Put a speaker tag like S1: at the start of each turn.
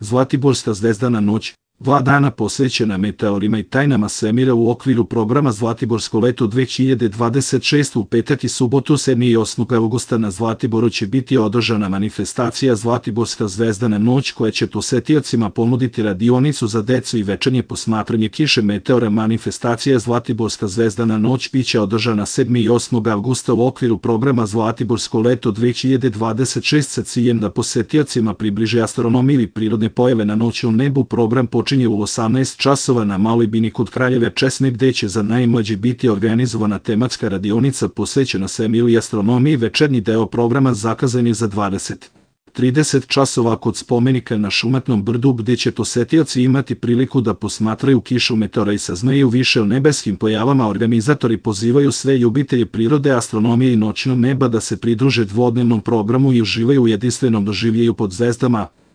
S1: Zlatiborska zvezdana noć, 2 dana posvećena meteorima i tajnama svemira u okviru programa Zlatiborsko leto 2026. U petak i subotu 7. i 8. avgusta na Zlatiboru će biti održana manifestacija Zlatiborska zvezdana noć koja će posetiocima ponuditi radionicu za decu i večernje posmatranje kiše meteora. Manifestacija Zlatiborska zvezdana noć biće održana 7. i 8. avgusta u okviru programa Zlatiborsko leto 2026 sa ciljem da posetiocima približe astronomiju i prirodne pojave na noćnom nebu. Program počinje u 18 časova na Maloj bini kod Kraljeve Česme, gde će za najmlađe biti organizovana tematska radionica posvećena svemiru i astronomiji. Večernji deo programa zakazan je za 20:30 časova kod spomenika na Šumatnom brdu, gde će posetioci imati priliku da posmatraju kišu meteora i saznaju više o nebeskim pojavama. Organizatori pozivaju sve ljubitelje prirode, astronomije i noćnog neba da se pridruže dvodnevnom programu i uživaju u jedinstvenom doživljaju pod zvezdama.